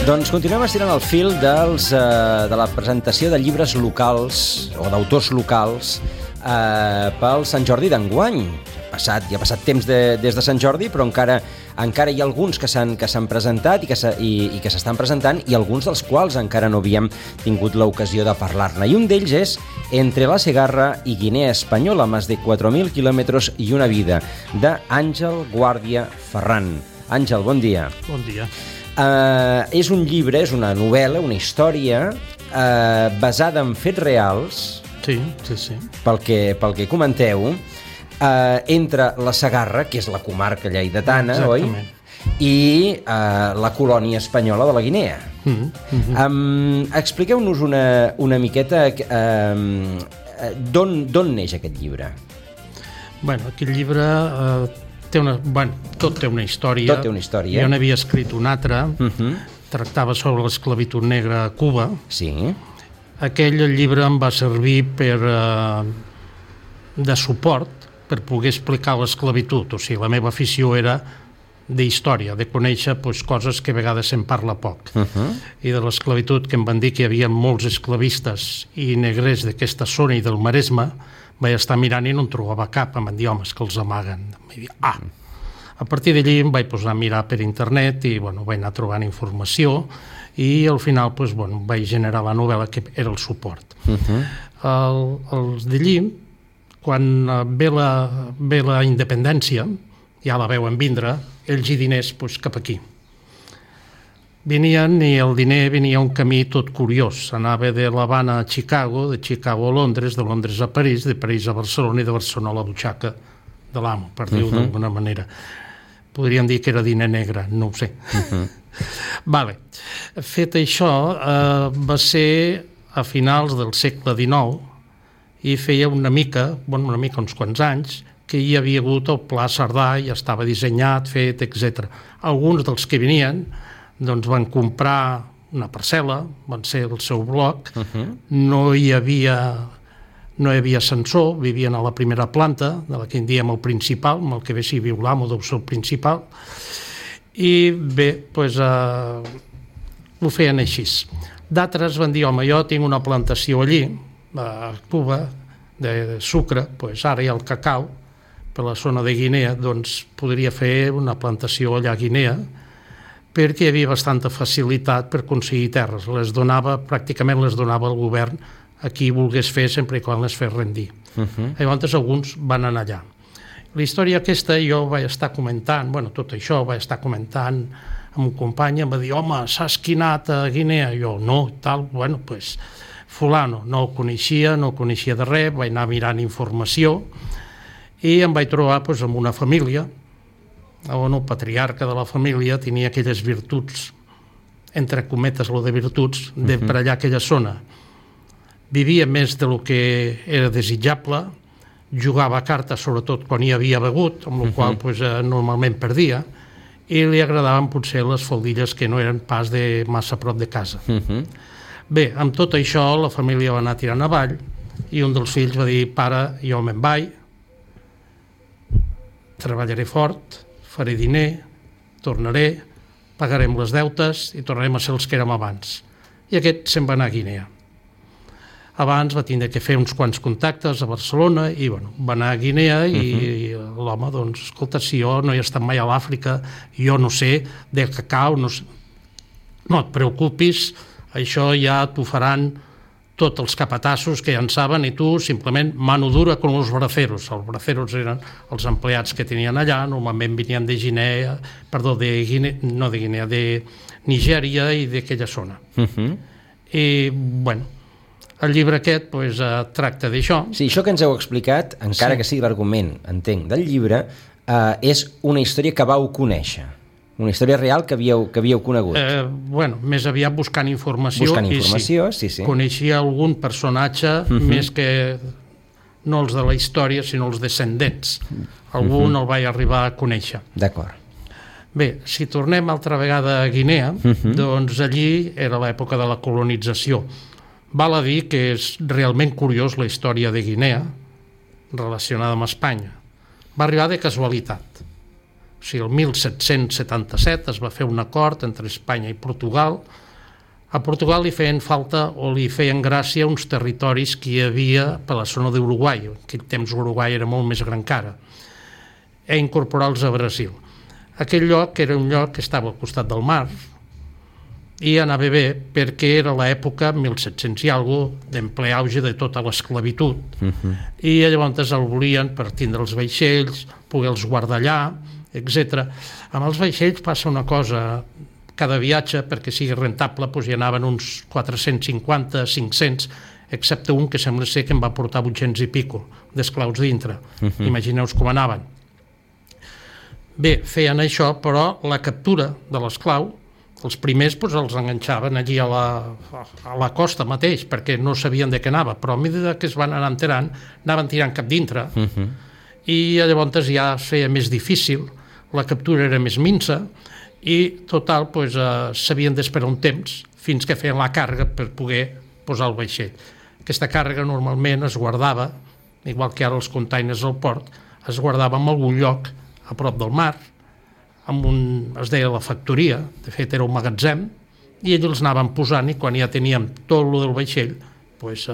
Doncs continuem estirant el fil de la presentació de llibres locals o d'autors locals pel Sant Jordi d'enguany. Ja ha passat temps des de Sant Jordi, però encara hi ha alguns que s'han presentat i que s'estan presentant, i alguns dels quals encara no havíem tingut l'ocasió de parlar-ne. I un d'ells és Entre la Segarra i Guinea Espanyola, más de 4.000 kilómetros y una vida, de Àngel Guàrdia Ferran. Àngel, bon dia. Bon dia. És un llibre, és una novel·la, una història basada en fets reals. Sí. Pel que comenteu, entre la Segarra, que és la comarca lleidatana, oi? I la colònia espanyola de la Guinea. Expliqueu-nos una miqueta d'on neix aquest llibre. Bueno, aquest llibre tot té una història. Tot té una història. Jo n'havia escrit una altra, tractava sobre l'esclavitud negra a Cuba. Sí. Aquell llibre em va servir de suport per poder explicar l'esclavitud. O sigui, la meva afició era d'història, de conèixer coses que a vegades se'n parla poc. I de l'esclavitud, que em van dir que hi havia molts esclavistes i negrers d'aquesta zona i del Maresme, vaig estar mirant i no en trobava cap. Em van dir, home, és que els amaguen. A partir d'allí em vaig posar a mirar per internet i vaig anar trobant informació i al final vaig generar la novel·la, que era el suport. Els d'allí, quan ve la independència, ja la veuen vindre, ells i diners cap aquí. Venien, i el diner venia un camí tot curiós. Anava de l'Havana a Chicago, de Chicago a Londres, de Londres a París, de París a Barcelona i de Barcelona a la butxaca de l'amo, per dir-ho d'alguna manera. Podríem dir que era diner negre, no ho sé. Fet això, va ser a finals del segle XIX i feia uns quants anys, que hi havia hagut el Pla Cerdà, i estava dissenyat, fet, etc. Alguns dels que venien van comprar una parcel·la, van ser el seu bloc, no hi havia ascensor, vivien a la primera planta, de la que en diem el principal, amb el que ve si viu l'amo deu ser el principal, i bé, ho feien així. D'altres van dir, home, jo tinc una plantació allí, a Cuba, de sucre, ara hi ha el cacau, per la zona de Guinea, doncs podria fer una plantació allà a Guinea, perquè hi havia bastanta facilitat per aconseguir terres. Pràcticament les donava el govern a qui volgués fer, sempre i quan les fes rendir. Llavors alguns van anar allà. La història aquesta jo vaig estar comentant, tot això ho vaig estar comentant amb un company, em va dir, home, saps qui ha anat a Guinea? Jo, no, tal, fulano, no ho coneixia de res, vaig anar mirant informació i em vaig trobar amb una família on el patriarca de la família tenia aquelles virtuts, entre cometes, de virtuts, per allà aquella zona. Vivia més del que era desitjable, jugava a cartes, sobretot quan hi havia begut, amb la qual normalment perdia, i li agradaven potser les faldilles que no eren pas de massa prop de casa. Bé, amb tot això la família va anar tirant avall i un dels fills va dir, pare, jo me'n vaig, treballaré fort, faré diner, tornaré, pagarem les deutes i tornarem a ser els que érem abans. I aquest se'n va anar a Guinea. Abans va tindre que fer uns quants contactes a Barcelona i va anar a Guinea i l'home, escolta, si jo no he estat mai a l'Àfrica, jo no sé del cacau, no et preocupis, això ja t'ho faran tots els capatassos que ja en saben, i tu simplement mano dura com els braceros. Els braceros eren els empleats que tenien allà, normalment venien de Nigèria i d'aquella zona. I, el llibre aquest tracta d'això. Sí, això que ens heu explicat, encara que sigui l'argument, entenc, del llibre, és una història que vau conèixer. Una història real que havíeu conegut. Més aviat buscant informació. Sí. Coneixia algun personatge, més que no els de la història, sinó els descendents. Algun el vaig arribar a conèixer. D'acord. Bé, si tornem altra vegada a Guinea, doncs allí era l'època de la colonització. Val a dir que és realment curiós la història de Guinea relacionada amb Espanya. Va arribar de casualitat. O sigui, el 1777 es va fer un acord entre Espanya i Portugal. A Portugal li feien falta o li feien gràcia uns territoris que hi havia per la zona d'Uruguai. En aquell temps Uruguai era molt més gran que ara. I incorporar-los a Brasil. Aquell lloc era un lloc que estava al costat del mar i anava bé perquè era l'època 1700 i alguna cosa d'en ple auge de tota l'esclavitud. I llavors el volien per tindre els vaixells, poder-los guardar allà, etc. Amb els vaixells passa una cosa, cada viatge, perquè sigui rentable, doncs hi anaven uns 450, 500, excepte un que sembla ser que em va portar 800 i pico d'esclaus dintre. Imagineu-vos com anaven. Bé, feien això, però la captura de l'esclau, els primers doncs, els enganxaven allí a la costa mateix, perquè no sabien de què anava, però a mesura que es van anar enterant, anaven tirant cap dintre, i llavors ja es feia més difícil, la captura era més minsa, i total doncs, s'havien d'esperar un temps fins que feien la càrrega per poder posar el vaixell. Aquesta càrrega normalment es guardava, igual que ara els containers al port, es guardava en algun lloc a prop del mar, es deia la factoria, de fet era un magatzem, i ells els anaven posant i quan ja teníem tot el del vaixell doncs,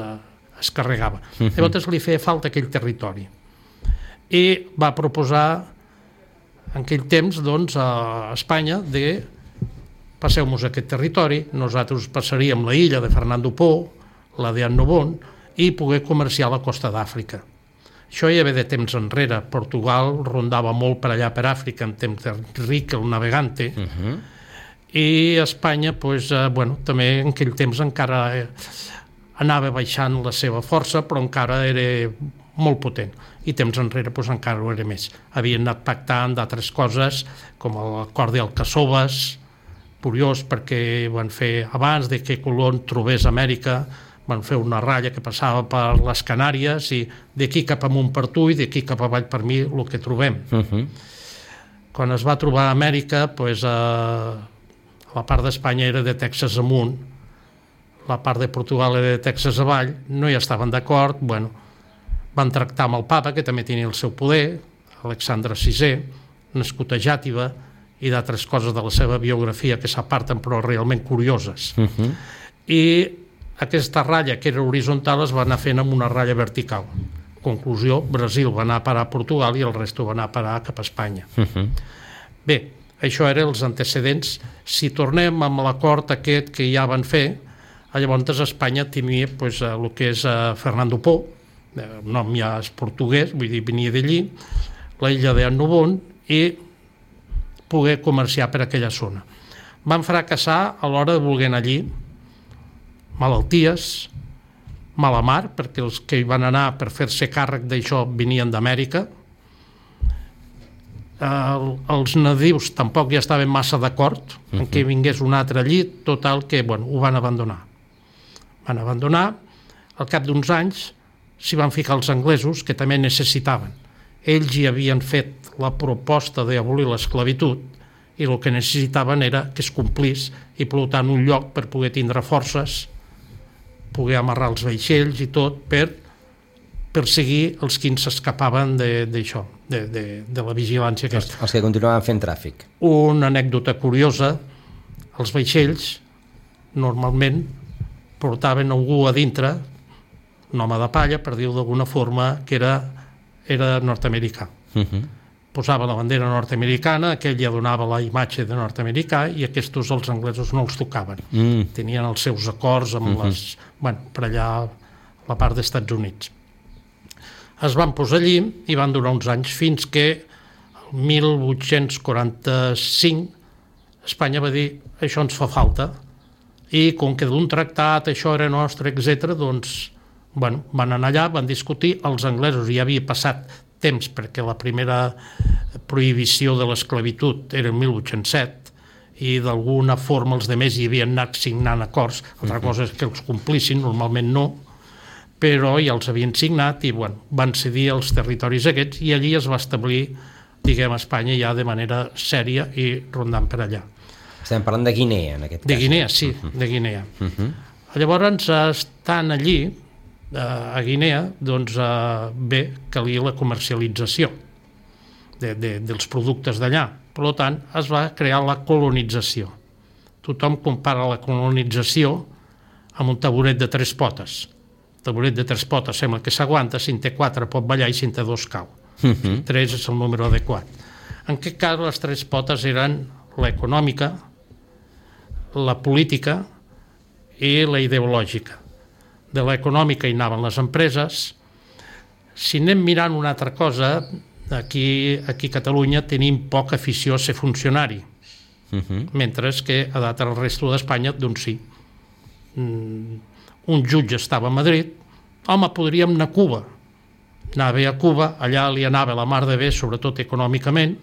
es carregava. Llavors li feia falta aquell territori. I va proposar en aquell temps doncs, a Espanya de passeu-nos a aquest territori, nosaltres passaríem la illa de Fernando Po, la de Annobón, i poder comerciar la costa d'Àfrica. Això ja ve de temps enrere. Portugal rondava molt per allà per Àfrica en temps d'Enric el Navegante, i Espanya doncs, també en aquell temps encara anava baixant la seva força, però encara era molt potent, i temps enrere doncs, encara ho era més. Havien anat pactant d'altres coses, com l'acord d'Alcaçoves, curiós perquè van fer abans de que Colón trobés Amèrica, van fer una ratlla que passava per les Canàries i d'aquí cap amunt per tu i d'aquí cap avall per mi el que trobem. Quan es va trobar a Amèrica, doncs, la part d'Espanya era de Texas amunt, la part de Portugal era de Texas avall, no hi estaven d'acord, van tractar amb el papa, que també tenia el seu poder, Alexandre VI, nascut a Jàtiva, i d'altres coses de la seva biografia que s'aparten però realment curioses. I aquesta ratlla, que era horitzontal, es va anar fent amb una ratlla vertical. Conclusió, Brasil va anar a parar a Portugal i el resto va anar a parar cap a Espanya. Bé, això eren els antecedents. Si tornem amb l'acord aquest que ja van fer, llavors Espanya tenia el que és Fernando Po, el nom ja és portuguès, vull dir, venia d'allí, la illa d'Annobón, i poder comerciar per aquella zona. Van fracassar a l'hora de voler anar allí, malalties, mala mar, perquè els que hi van anar per fer-se càrrec d'això venien d'Amèrica. Els nadius tampoc ja estaven massa d'acord en que vingués un altre allí, total que ho van abandonar. Van abandonar, al cap d'uns anys s'hi van ficar els anglesos, que també necessitaven. Ells hi havien fet la proposta d'abolir l'esclavitud i el que necessitaven era que es complís i per tant un lloc per poder tindre forces, poder amarrar els vaixells i tot per perseguir els que s'escapaven d'això, de la vigilància aquesta. Els que continuaven fent tràfic. Una anècdota curiosa, els vaixells normalment portaven algú a dintre, un home de palla, per dir-ho d'alguna forma, que era nord-americà. Posava la bandera nord-americana, aquell ja donava la imatge de nord-americà i aquests els anglesos no els tocaven. Tenien els seus acords amb per allà la part dels Estats Units. Es van posar allí i van durar uns anys fins que el 1845 Espanya va dir això ens fa falta i com que d'un tractat això era nostre, etc., doncs van anar allà, van discutir, els anglesos ja havia passat temps perquè la primera prohibició de l'esclavitud era el 1807 i d'alguna forma els altres hi havien anat signant acords, altra cosa és que els complissin, normalment no, però ja els havien signat i van cedir els territoris aquests i allí es va establir, diguem, Espanya ja de manera sèria i rondant per allà. Estem parlant de Guinea, en aquest cas. De Guinea, sí, de Guinea. Llavors, estan allí, a Guinea, doncs bé, calia la comercialització. dels productes d'allà. Per tant, es va crear la colonització. Tothom compara la colonització amb un taburet de 3 potes. El taburet de 3 potes sembla que s'aguanta, si en té 4 pot ballar i si en té 2 cau. 3 és el número adequat. En aquest cas, les 3 potes eren l'econòmica, la política i la ideològica. De l'econòmica hi anaven les empreses. Si anem mirant una altra cosa, aquí a Catalunya tenim poca afició a ser funcionari, mentre que a l'altre resto d'Espanya, doncs sí. Un jutge estava a Madrid, home, podríem anar a Cuba. Anava a Cuba, allà li anava la mar de bé, sobretot econòmicament,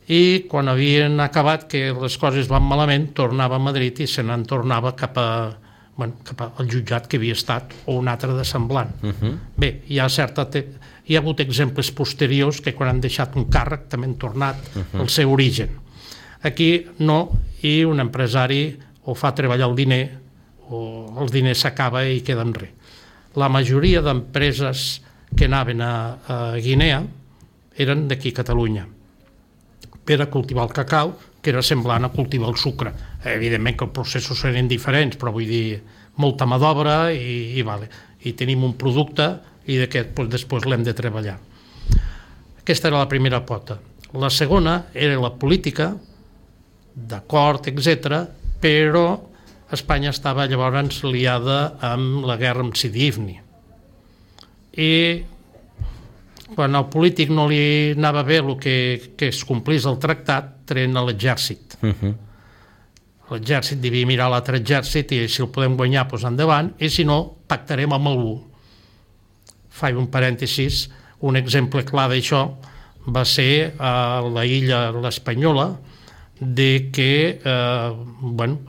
i quan havien acabat que les coses van malament, tornava a Madrid i se n'en tornava cap al jutjat que havia estat, o un altre de semblant. Bé, hi ha hagut exemples posteriors que quan han deixat un càrrec també han tornat al seu origen. Aquí no, i un empresari o fa treballar el diner o el diner s'acaba i queda en res. La majoria d'empreses que anaven a Guinea eren d'aquí a Catalunya per a cultivar el cacau, que era semblant a cultivar el sucre. Evidentment que els processos eren diferents, però vull dir, molta mà d'obra i tenim un producte i d'aquest després l'hem de treballar. Aquesta era la primera pota. La segona era la política, d'acord, etc., però Espanya estava llavors liada amb la guerra amb Sidi Ifni. I quan al polític no li anava bé el que es complís el tractat, treien a l'exèrcit. L'exèrcit devia mirar l'altre exèrcit i si el podem guanyar, doncs endavant, i si no, pactarem amb algú. Faig un parèntesis, un exemple clar d'això va ser a la illa l'Espanyola, de que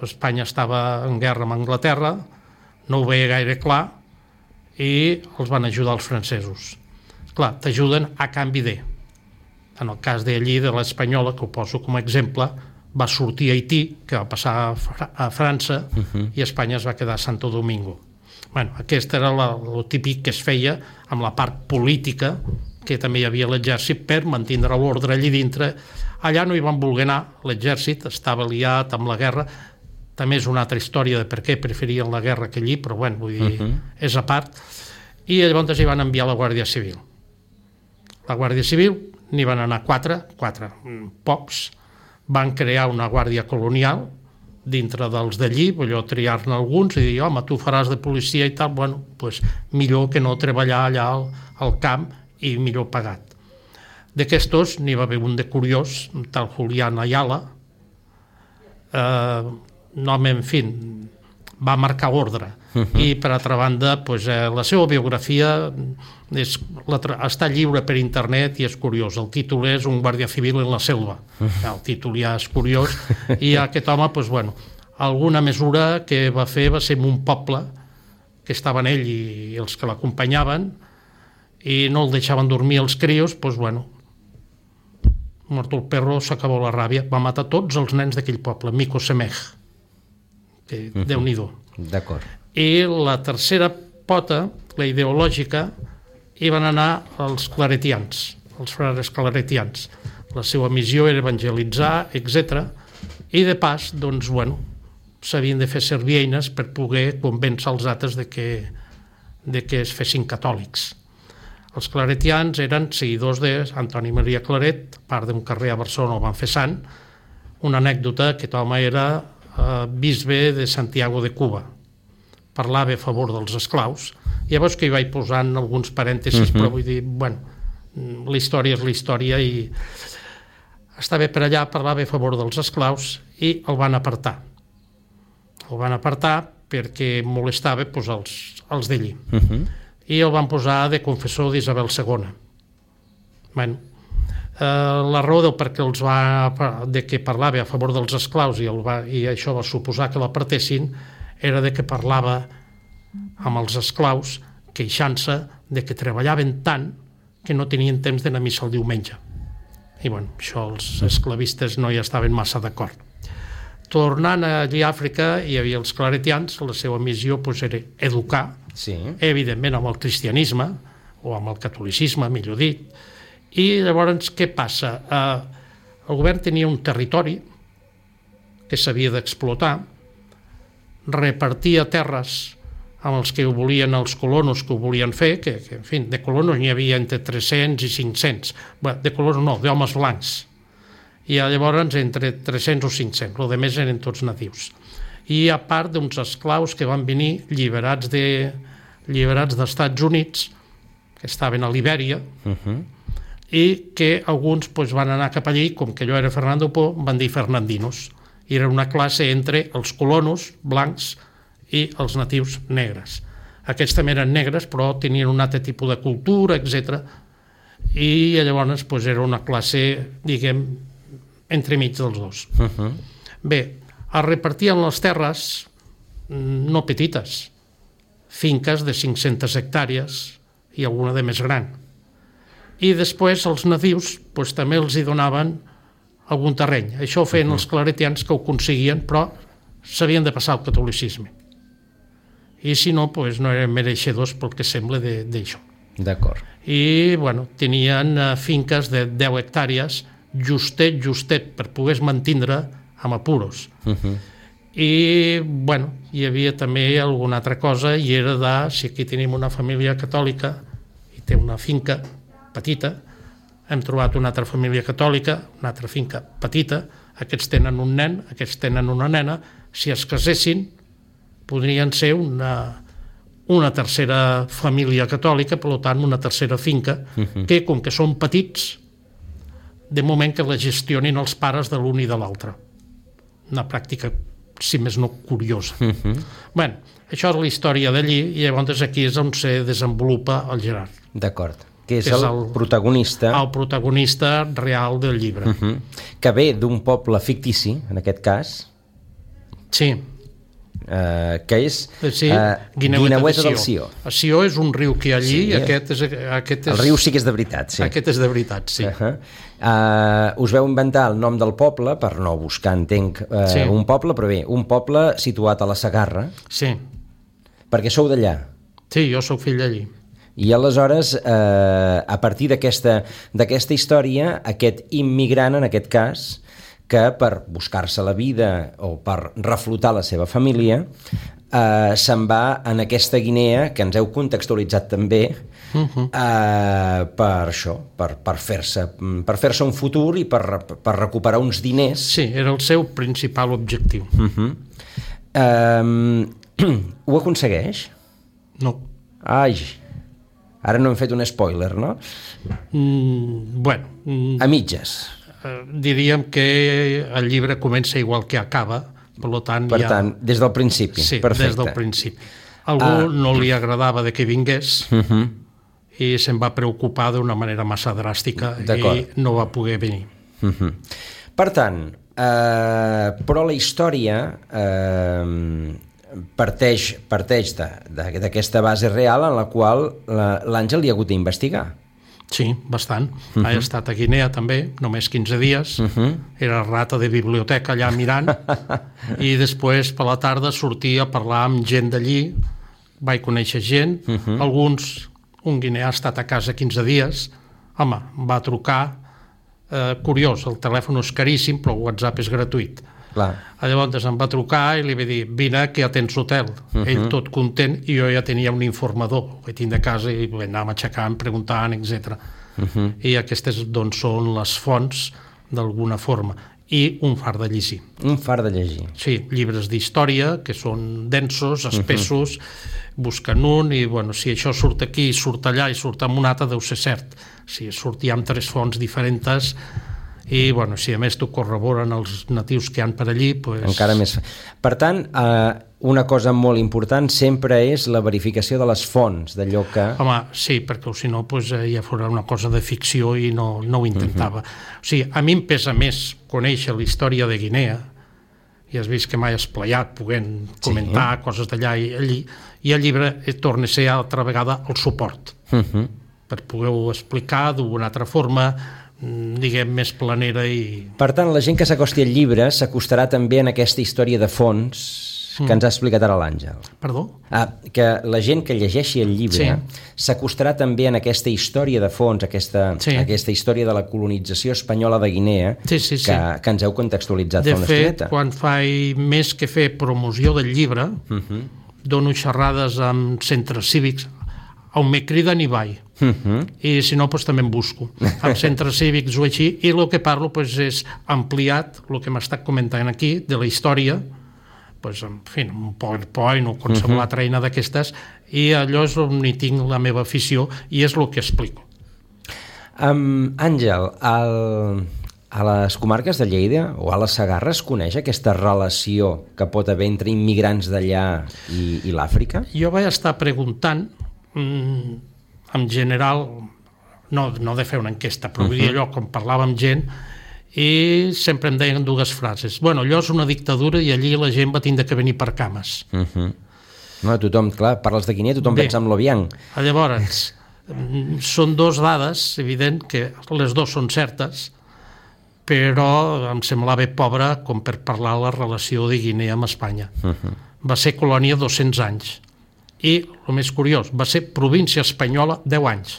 Espanya estava en guerra amb Anglaterra, no ho veia gaire clar, i els van ajudar els francesos. Clar, t'ajuden a canvi de. En el cas d'allí, de l'Espanyola, que ho poso com a exemple, va sortir a Haití, que va passar a França, i Espanya es va quedar a Santo Domingo. Aquest era el típic que es feia amb la part política, que també hi havia l'exèrcit per mantenir l'ordre allí dintre. Allà no hi van voler anar, l'exèrcit estava liat amb la guerra. També és una altra història de per què preferien la guerra que allí, però vull dir, és a part. I llavors hi van enviar la Guàrdia Civil. La Guàrdia Civil n'hi van anar 4, pocs, van crear una guàrdia colonial dintre dels d'allí, allò triar-ne alguns i dir, home, tu faràs de policia i tal, doncs millor que no treballar allà al camp i millor pagat. D'aquestos n'hi va haver un de curiós, un tal Julián Ayala, en fi, va marcar ordre. I per altra banda, la seva biografia està lliure per internet i és curiós. El títol és Un guàrdia civil en la selva. El títol ja és curiós. I aquest home, alguna mesura que va fer va ser en un poble que estaven ell i els que l'acompanyaven i no el deixaven dormir els crios, mort el perro, s'acabó la ràbia, va matar tots els nens d'aquell poble, Mico Semej, que Déu-n'hi-do. D'acord. I la tercera pota, la ideològica, hi van anar els claretians, els frares claretians. La seva missió era evangelitzar, etc. I de pas, s'havien de fer servir eines per poder convèncer els altres de que es fessin catòlics. Els claretians eren seguidors d'Antoni Maria Claret, part d'un carrer a Barcelona el van fer sant. Una anècdota, aquest home era bisbe de Santiago de Cuba. Parlava a favor dels esclaus. Llavors que hi vaig posant alguns parèntesis, però vull dir, la història és la història i estava per allà, parlava a favor dels esclaus i el van apartar. El van apartar perquè molestava els d'allí. I el van posar de confessor d'Isabel II. La raó del perquè de que parlava a favor dels esclaus i això va suposar que l'apartessin era de que parlava amb els esclaus queixant-se de que treballaven tant que no tenien temps d'anar a missa el diumenge. I això els esclavistes no hi estaven massa d'acord. Tornant allí a Àfrica hi havia els claretians, la seva missió era educar, evidentment amb el cristianisme o amb el catolicisme, millor dit, I llavors què passa? El govern tenia un territori que s'havia d'explotar, repartia terres amb els que ho volien, els colonos que ho volien fer, que en fi, de colonos n'hi havia entre 300 i 500, bé, de colonos no, d'homes blancs, i llavors entre 300 o 500, el de més eren tots natius. I a part d'uns esclaus que van venir lliberats dels Estats Units, que estaven a Libèria, i que alguns van anar cap allí, com que allò era Fernando Po, van dir fernandinos. I era una classe entre els colonos blancs i els natius negres. Aquests també eren negres, però tenien un altre tipus de cultura, etc. I llavors era una classe, diguem, entremig dels dos. Bé, es repartien les terres no petites, finques de 500 hectàrees i alguna de més gran. I després els nadius també els hi donaven algun terreny. Això ho feien els claretians, que ho aconseguien, però s'havien de passar al catolicisme. I si no, no eren mereixedors pel que sembla d'això. D'acord. I, tenien finques de 10 hectàrees, justet, per poder mantindre amb apuros. I, hi havia també alguna altra cosa, i era si aquí tenim una família catòlica i té una finca petita, hem trobat una altra família catòlica, una altra finca petita, aquests tenen un nen, aquests tenen una nena, si es casessin podrien ser una tercera família catòlica, per tant una tercera finca, que com que són petits, de moment que la gestionin els pares de l'un i de l'altre. Una pràctica, si més no, curiosa. Això és la història d'allí, i llavors aquí és on se desenvolupa el Gerard. D'acord. Que és el protagonista. El protagonista real del llibre. Que ve d'un poble fictici, en aquest cas. Sí. Que és Guineueta del Sió. El Sió és un riu que hi ha allí, i aquest és... El riu sí que és de veritat, sí. Aquest és de veritat, sí. Us veu inventar el nom del poble, per no buscar, entenc, un poble, però bé, un poble situat a la Segarra. Sí. Perquè sou d'allà. Sí, jo sóc fill d'allí. I aleshores, a partir d'aquesta història, aquest immigrant, en aquest cas, que per buscar-se la vida o per reflotar la seva família se'n va en aquesta Guinea, que ens heu contextualitzat també, per això, per fer-se un futur i per recuperar uns diners. Sí, era el seu principal objectiu. Ho aconsegueix? No. Ai, ara no hem fet un spoiler, no? A mitges. Diríem que el llibre comença igual que acaba, per tant, des del principi. Sí, perfecte. Des del principi. Algú no li agradava de que vingués i se'n va preocupar d'una manera massa dràstica i no va poder venir. Per tant, però la història parteix d'aquesta base real en la qual l'Àngel li ha hagut d'investigar. Sí, bastant. He estat a Guinea també, només 15 dies. Era rata de biblioteca allà mirant i després per la tarda sortia a parlar amb gent d'allí. Vaig conèixer gent. Un guineà ha estat a casa 15 dies. Home, va trucar. Curiós, el telèfon és caríssim, però el WhatsApp és gratuït. Llavors em va trucar i li va dir, vine que ja tens hotel. Ell tot content, i jo ja tenia un informador que tinc de casa i anàvem aixecant, preguntant, etc. I aquestes són les fonts d'alguna forma, i un far de llegir. Un far de llegir. Sí, llibres d'història que són densos, espessos, busquen un i si això surt aquí, surt allà i surt amb un altre, deu ser cert. Si surt ja amb 3 fonts diferents i si a més t'ho corroboren els natius que hi ha per allí, encara més. Per tant, una cosa molt important sempre és la verificació de les fonts, d'allò que... Home, sí, perquè si no ja fora una cosa de ficció i no ho intentava. O sigui, a mi em pesa més conèixer la història de Guinea, i has vist que m'he esplayat podent comentar coses d'allà i allí, i el llibre torna a ser altra vegada el suport, per poder-ho explicar d'una altra forma, diguem, més planera. I... Per tant, la gent que s'acosti al llibre s'acostarà també en aquesta història de fons que ens ha explicat ara l'Àngel. Perdó? Que la gent que llegeixi el llibre s'acostarà també en aquesta història de fons, aquesta història de la colonització espanyola de Guinea, que ens heu contextualitzat fa una estoneta. De fet, quan faig més que fer promoció del llibre, dono xerrades amb centres cívics, on me criden i vaig. I si no, també em busco. Amb centres cívics o així, i el que parlo és ampliat, el que m'ha estat comentant aquí, de la història, en fi, un PowerPoint o qualsevol altra eina d'aquestes, i allò és on hi tinc la meva afició i és el que explico. Àngel, a les comarques de Lleida o a la Segarra es coneix aquesta relació que pot haver entre immigrants d'allà i l'Àfrica? Jo vaig estar preguntant, en general, no de fer una enquesta, però vull dir allò, quan parlava amb gent, i sempre em deien dues frases. Bueno, allò és una dictadura i allí la gent va tindre que venir per cames. No, tothom, clar, parles de Guinea, tothom pensa en l'Obiang. Llavors, són dues dades, evident que les dues són certes, però em semblava pobra com per parlar la relació de Guinea amb Espanya. Va ser colònia 200 anys. I, el més curiós, va ser província espanyola 10 anys.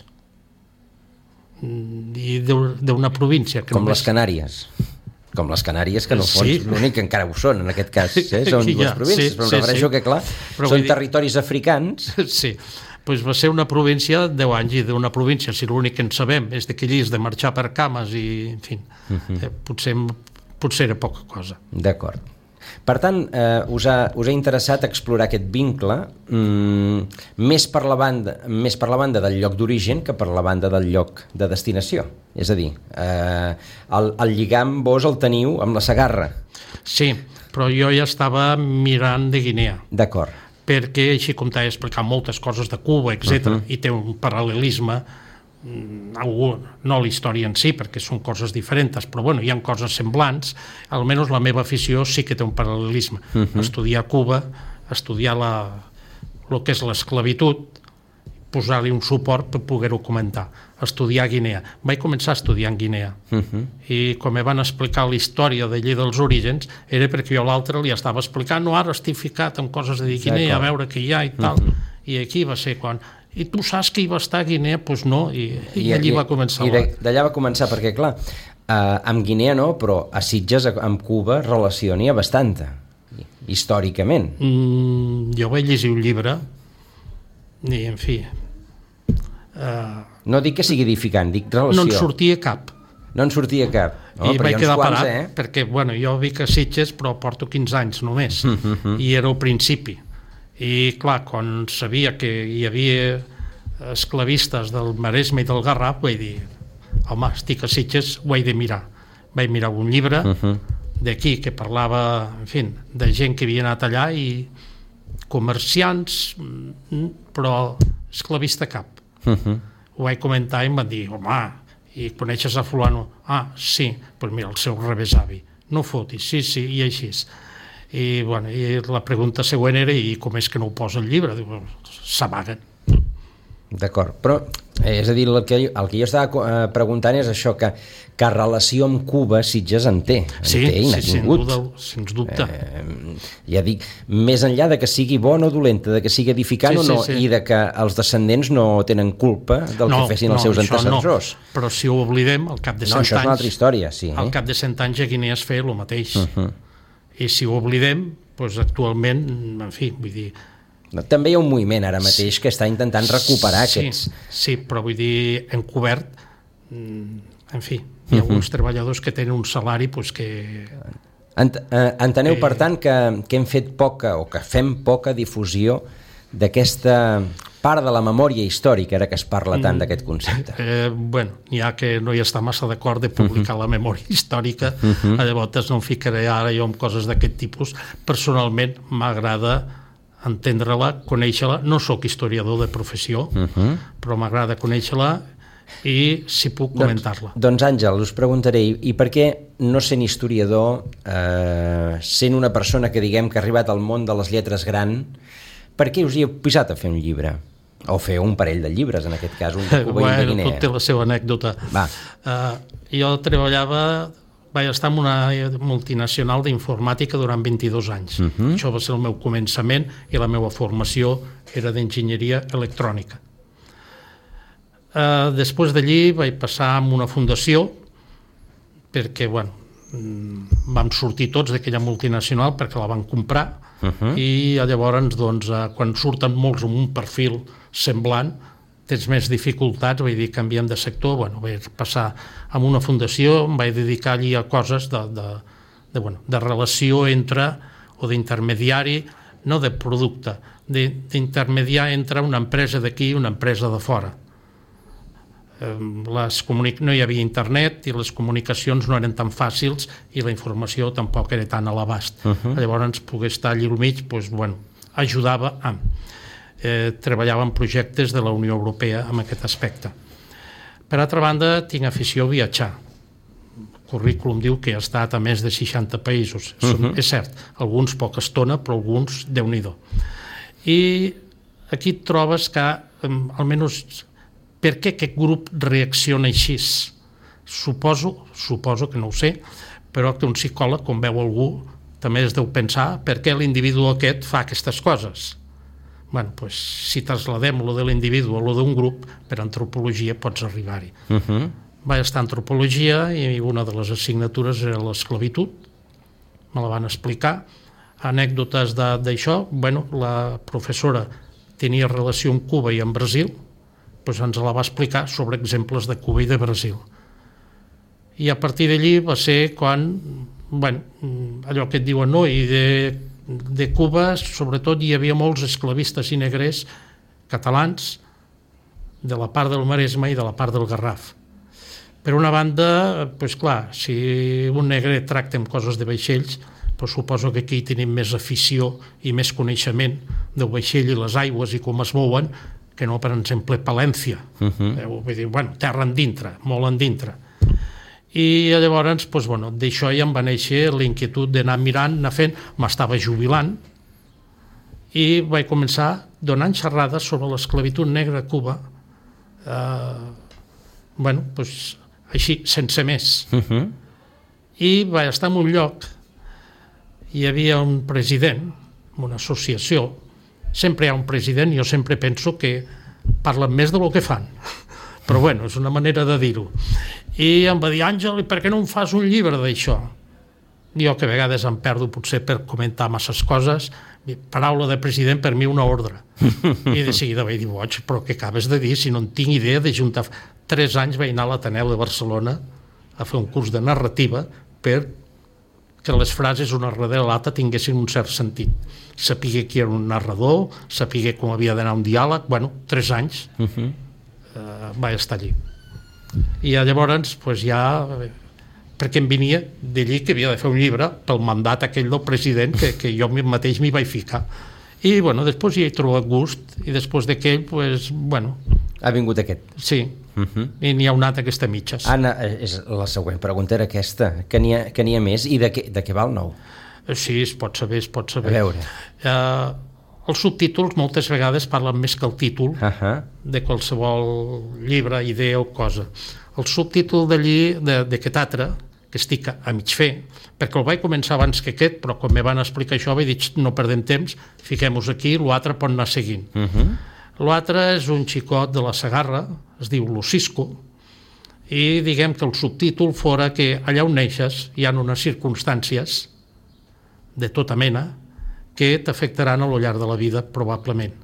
I d'una província... Com les Canàries. Com les Canàries, que no fons l'únic que encara ho són, en aquest cas. Són dues províncies, però em refereixo que, clar, són territoris africans. Sí, doncs va ser una província 10 anys, i d'una província, si l'únic que en sabem és que allí és de marxar per cames i, en fi, potser era poca cosa. D'acord. Per tant, us ha interessat explorar aquest vincle més per la banda del lloc d'origen que per la banda del lloc de destinació. És a dir, el lligam vos el teniu amb la Segarra. Sí, però jo ja estava mirant de Guinea. D'acord. Perquè, així com t'he explicat moltes coses de Cuba, etc., i té un paral·lelisme, no la història en si, perquè són coses diferents, però bueno, hi ha coses semblants, almenys la meva afició sí que té un paral·lelisme. Estudiar Cuba, estudiar el que és l'esclavitud, posar-li un suport per poder-ho comentar. Estudiar Guinea. Vaig començar a estudiar en Guinea. I com me van explicar la història d'allí dels orígens, era perquè jo a l'altre li estava explicant, no, ara estic ficat en coses de Guinea, a veure què hi ha i tal. I aquí va ser quan... I tu saps que hi va estar a Guinea? Doncs no, i allí va començar. I d'allà va començar, perquè clar, amb Guinea no, però a Sitges, amb Cuba, relació n'hi ha bastanta, històricament. Jo vaig llegir un llibre, i en fi... No dic que sigui edificant, dic relació. No en sortia cap. No en sortia cap. I vaig quedar parat, perquè jo vic a Sitges, però porto 15 anys només, i era al principi. I clar, quan sabia que hi havia esclavistes del Maresme i del Garraf, vaig dir, home, estic a Sitges, ho he de mirar. Vaig mirar un llibre d'aquí que parlava, en fi, de gent que havia anat allà i comerciants, però esclavista cap. Ho vaig comentar i em van dir, home, i coneixes a fulano? Ah, sí, doncs mira, el seu rebesavi. No fotis, sí, i així. I la pregunta següent era, i com és que no ho posa al llibre? Diu, s'amaguen. D'acord, però és a dir, el que jo estava preguntant és això, que relació amb Cuba Sitges en té, i n'ha tingut. Sens dubte. Ja dic, més enllà de que sigui bona o dolenta, de que sigui edificant o no, i de que els descendents no tenen culpa del que fessin els seus antecessors. No. Però si ho oblidem, al cap de 100 anys... No, això és una altra història, sí. Al cap de 100 anys a Guinea es feia el mateix. I si ho oblidem, doncs actualment, en fi, vull dir... També hi ha un moviment ara mateix que està intentant recuperar aquests... Sí, però vull dir, encobert, en fi, hi ha alguns treballadors que tenen un salari doncs que... Enteneu, per tant, que hem fet poca, o que fem poca difusió d'aquesta part de la memòria històrica, ara que es parla tant d'aquest concepte. N'hi ha que no hi està massa d'acord de publicar la memòria històrica, llavors no em ficaré ara jo en coses d'aquest tipus. Personalment m'agrada entendre-la, conèixer-la, no sóc historiador de professió, però m'agrada conèixer-la i si puc comentar-la. Doncs Àngel, us preguntaré, i per què no sent historiador, sent una persona que diguem que ha arribat al món de les lletres gran, per què us hi heu posat a fer un llibre? O fer un parell de llibres, en aquest cas, un de Cuba i un de Guinea. Tot té la seva anècdota. Jo treballava vaig estar en una multinacional d'informàtica durant 22 anys. Això va ser el meu començament i la meva formació era d'enginyeria electrònica. Després d'allí vaig passar a una fundació perquè, vam sortir tots d'aquella multinacional perquè la van comprar i llavors, quan surten molts amb un perfil semblant, tens més dificultats, vull dir, canviem de sector, vaig passar a una fundació, em vaig dedicar allí a coses de relació entre, o d'intermediari, no de producte, d'intermediar entre una empresa d'aquí i una empresa de fora. No hi havia internet i les comunicacions no eren tan fàcils i la informació tampoc era tan a l'abast. Llavors, poder estar allà al mig, ajudava a... treballava en projectes de la Unió Europea en aquest aspecte. Per altra banda, tinc afició a viatjar. El currículum diu que he estat a més de 60 països. És cert, alguns poca estona, però alguns Déu-n'hi-do. I aquí et trobes que, almenys, per què aquest grup reacciona així? Suposo que no ho sé, però que un psicòleg, quan veu algú, també es deu pensar per què l'individu aquest fa aquestes coses. Si trasladem lo de l'individu o lo d'un grup, per antropologia pots arribar-hi. Vaig estar a antropologia i una de les assignatures era l'esclavitud, me la van explicar. Anècdotes d'això, la professora tenia relació amb Cuba i amb Brasil, ens la va explicar sobre exemples de Cuba i de Brasil. I a partir d'allí va ser quan, allò que et diuen, no, i de Cuba, sobretot, hi havia molts esclavistes i negrers catalans de la part del Maresme i de la part del Garraf. Per una banda, clar, si un negre tracta amb coses de vaixells, suposo que aquí tenim més afició i més coneixement del vaixell i les aigües i com es mouen, que no, per exemple, Palència. Vull dir, terra endintre, molt endintre. I llavors, d'això ja em va néixer l'inquietud d'anar mirant, anar fent, m'estava jubilant, i vaig començar donant xerrades sobre l'esclavitud negra a Cuba, així, sense més. I vaig estar en un lloc, hi havia un president, una associació, sempre hi ha un president, jo sempre penso que parlen més del que fan, però és una manera de dir-ho. I em va dir, Àngel, per què no em fas un llibre d'això? Jo, que a vegades em perdo potser per comentar masses coses, paraula de president per mi una ordre. I de seguida vaig dir, boig, però què acabes de dir si no en tinc idea de juntar... 3 anys vaig anar a l'Ateneu de Barcelona a fer un curs de narrativa per que les frases una darrere l'altra tinguessin un cert sentit. Sapigué qui era un narrador, sapigué com havia d'anar un diàleg, 3 anys vaig estar allí. I llavors, perquè em venia d'allí que havia de fer un llibre pel mandat aquell del president que jo mateix m'hi vaig ficar. I, després hi he trobat gust, i després d'aquell, Ha vingut aquest. Sí, i n'hi ha un altre que està a mitges. Anna, la següent pregunta era aquesta, que n'hi ha més, i de què va el nou? Sí, es pot saber. A veure. Els subtítols moltes vegades parlen més que el títol de qualsevol llibre, idea o cosa. El subtítol d'aquest altre, que estic a mig fer, perquè el vaig començar abans que aquest, però quan me van explicar això vaig dir, no perdem temps, fiquem-nos aquí, l'altre pot anar seguint. L'altre és un xicot de la Segarra, es diu Lucisco, i diguem que el subtítol fora que allà on neixes hi ha unes circumstàncies de tota mena que t'afectaran a lo llarg de la vida, probablement.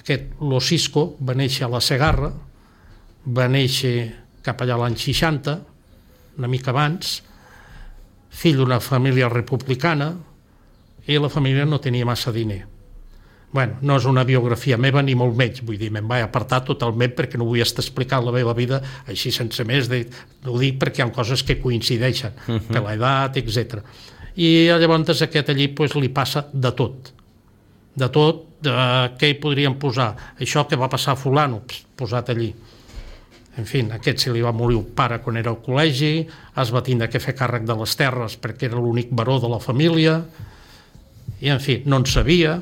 Aquest Lucisco va néixer a la Segarra, va néixer cap allà l'any 60, una mica abans, fill d'una família republicana, i la família no tenia massa diner. No és una biografia meva ni molt menys, vull dir, me'n vaig apartar totalment perquè no vull estar explicant la meva vida així sense més, ho dic perquè hi ha coses que coincideixen, per l'edat, etc. I llavors aquest allí li passa de tot. De tot, què hi podríem posar? Això que va passar a fulano, posat allí. En fi, aquest se li va morir el pare quan era al col·legi, es va tindre que fer càrrec de les terres perquè era l'únic baró de la família, i en fi, no en sabia.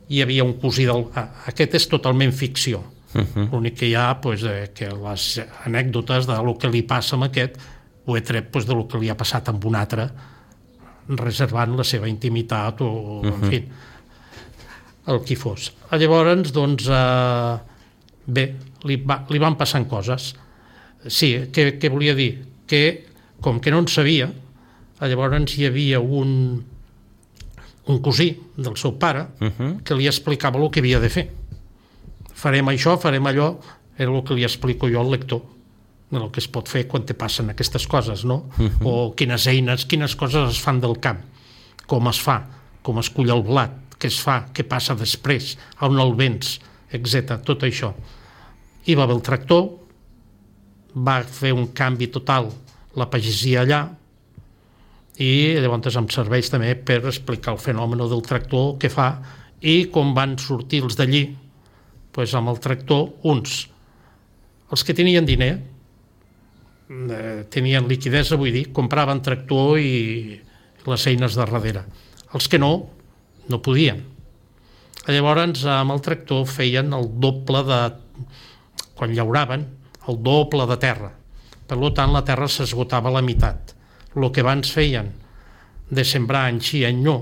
Hi havia un cosí Aquest és totalment ficció. L'únic que hi ha, que les anècdotes del que li passa amb aquest, ho he tret doncs, del que li ha passat amb un altre, reservant la seva intimitat o, en fi, el qui fos. Llavors, doncs, bé, li van passant coses. Sí, què volia dir? Que, com que no en sabia, llavors hi havia un cosí del seu pare que li explicava el que havia de fer. Farem això, farem allò, era el que li explico jo al lector, el que es pot fer quan te passen aquestes coses, no? O quines eines, quines coses es fan del camp, com es fa, com es cull el blat, què es fa, què passa després, on el vens, etc. Tot això. Hi va haver el tractor, va fer un canvi total la pagesia allà, i llavors em serveix també per explicar el fenomen del tractor, què fa, i com van sortir els d'allí, doncs amb el tractor, uns, els que tenien diner, tenien liquidesa, vull dir, compraven tractor i les eines de darrere. Els que no podien. Llavors, amb el tractor feien el doble de... Quan llauraven, el doble de terra. Per tant, la terra s'esgotava a la meitat. El que abans feien de sembrar any sí, any no,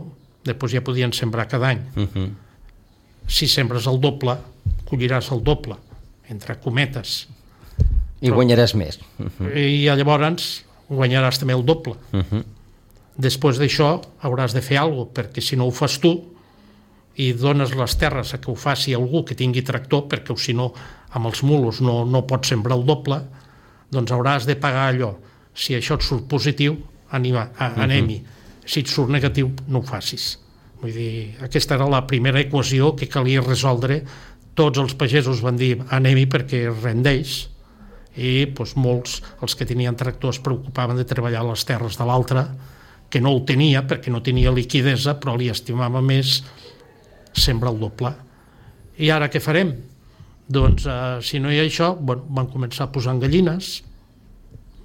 després ja podien sembrar cada any. Si sembres el doble, colliràs el doble, entre cometes. I guanyaràs més. I llavors guanyaràs també el doble. Després d'això hauràs de fer alguna cosa, perquè si no ho fas tu i dones les terres a que ho faci algú que tingui tractor, perquè si no amb els mulos no pots sembrar el doble, doncs hauràs de pagar allò. Si això et surt positiu, anem-hi. Si et surt negatiu, no ho facis. Vull dir, aquesta era la primera equació que calia resoldre. Tots els pagesos van dir anem-hi perquè rendeix, i doncs, molts, els que tenien tractor, es preocupaven de treballar a les terres de l'altre, que no ho tenia perquè no tenia liquidesa, però li estimava més sembrar el doble. I ara què farem? Doncs, si no hi ha això, van començar a posar gallines,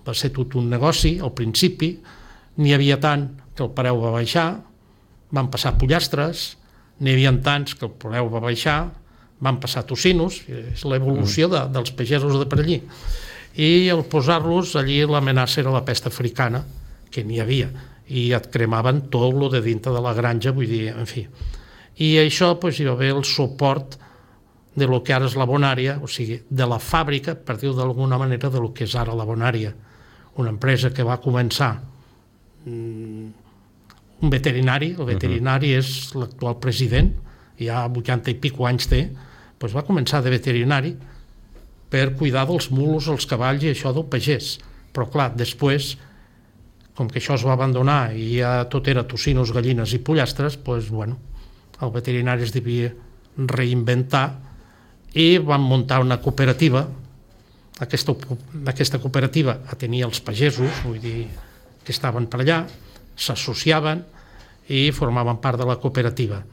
va ser tot un negoci, al principi, n'hi havia tant que el preu va baixar, van passar pollastres, n'hi havia tants que el preu va baixar, van passar tocinos, és l'evolució dels pagesos de per allí. I al posar-los allí l'amenaça era la pesta africana, que n'hi havia, i et cremaven tot el de dintre de la granja, vull dir, en fi. I això hi va haver el suport de lo que ara és la Bonària, o sigui, de la fàbrica, per dir-ho d'alguna manera, de lo que és ara la Bonària. Una empresa que va començar un veterinari, el veterinari és l'actual president, ja 80 i pico anys té, doncs va començar de veterinari per cuidar dels mulos, els cavalls i això del pagès. Però clar, després, com que això es va abandonar i ja tot era tocinos, gallines i pollastres, doncs, el veterinari es devia reinventar i van muntar una cooperativa. Aquesta cooperativa atenia els pagesos, vull dir, que estaven per allà, s'associaven i formaven part de la cooperativa.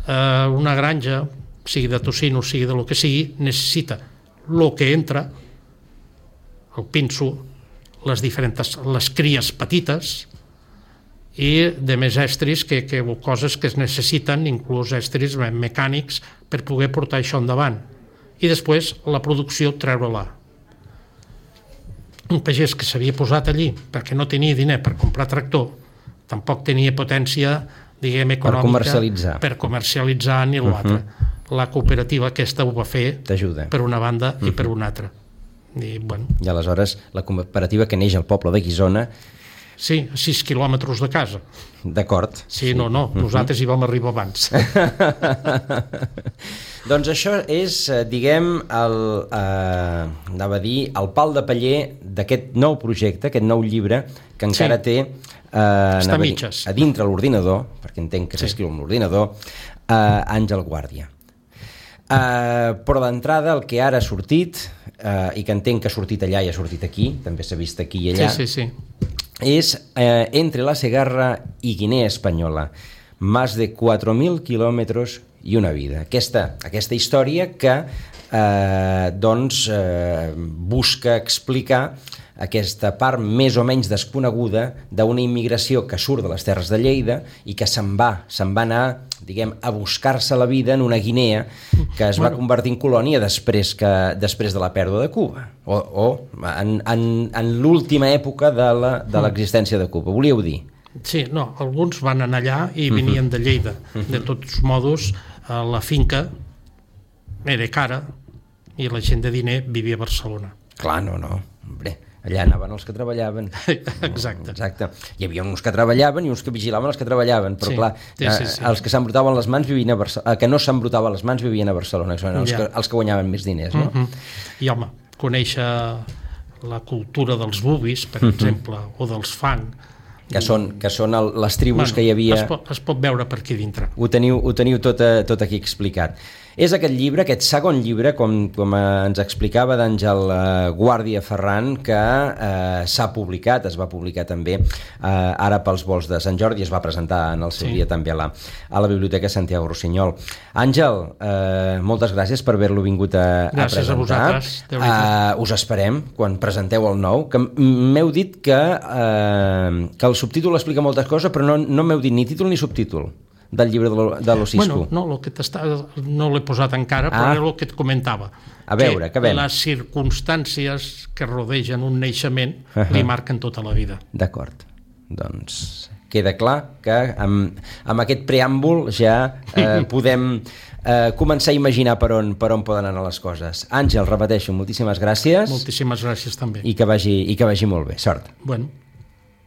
Una granja, sigui de tocino, sigui de lo que sigui, necessita el que entra, el pinso, les cries petites i de més estris, coses que es necessiten, inclús estris mecànics, per poder portar això endavant. I després la producció treure-la. Un pagès que s'havia posat allí perquè no tenia diner per comprar tractor, tampoc tenia potència, diguem, econòmica per comercialitzar ni l'altre. La cooperativa aquesta ho va fer per una banda i per una altra. I aleshores la cooperativa que neix al poble de Guissona... Sí, a 6 quilòmetres de casa. D'acord. Sí, no, nosaltres hi vam arribar abans. Doncs això és, diguem, anava a dir, el pal de paller d'aquest nou projecte, aquest nou llibre, que encara té està mitges a dintre l'ordinador, perquè entenc que s'escriu amb l'ordinador, Àngel Guàrdia. Però d'entrada el que ara ha sortit, i que entenc que ha sortit allà i ha sortit aquí, també s'ha vist aquí i allà, és Entre la Segarra y Guinea Española, más de 4.000 kilómetros y una vida. Aquesta història que busca explicar aquesta part més o menys desconeguda d'una immigració que surt de les terres de Lleida i que se'n va anar, diguem, a buscar-se la vida en una Guinea que es va convertir en colònia després de la pèrdua de Cuba o en l'última època de l'existència de Cuba. Volíeu dir? Sí, no, alguns van anar allà i venien de Lleida. De tots modos, la finca era cara i la gent de diner vivia a Barcelona. Clar, no. Hombre, allà anaven els que treballaven. Exacte. Hi havia uns que treballaven i uns que vigilaven els que treballaven, però clar, els que s'embrutaven les mans vivien a Barcelona, que no s'embrutaven les mans vivien a Barcelona, els que guanyaven més diners, no? I home, conèixer la cultura dels bubis, per exemple, o dels fang, que són les tribus que hi havia. Es pot veure per aquí dintre. Ho teniu tot aquí explicat. És aquest llibre, aquest segon llibre, com ens explicava d'Àngel Guàrdia Ferran, que s'ha publicat, es va publicar també ara pels volts de Sant Jordi, es va presentar en el seu dia també a la Biblioteca Santiago Rossinyol. Àngel, moltes gràcies per haver-lo vingut a presentar. Gràcies a vosaltres. Us esperem quan presenteu el nou, que m'heu dit que el subtítol explica moltes coses, però no m'heu dit ni títol ni subtítol del llibre de l'Osisco. Bueno, no l'he posat encara, però era el que et comentava. A veure, que ven. Les circumstàncies que rodegen un naixement li marquen tota la vida. D'acord. Doncs queda clar que amb aquest preàmbul ja podem començar a imaginar per on poden anar les coses. Àngel, repeteixo, moltíssimes gràcies. Moltíssimes gràcies també. I que vagi molt bé. Sort. Bueno.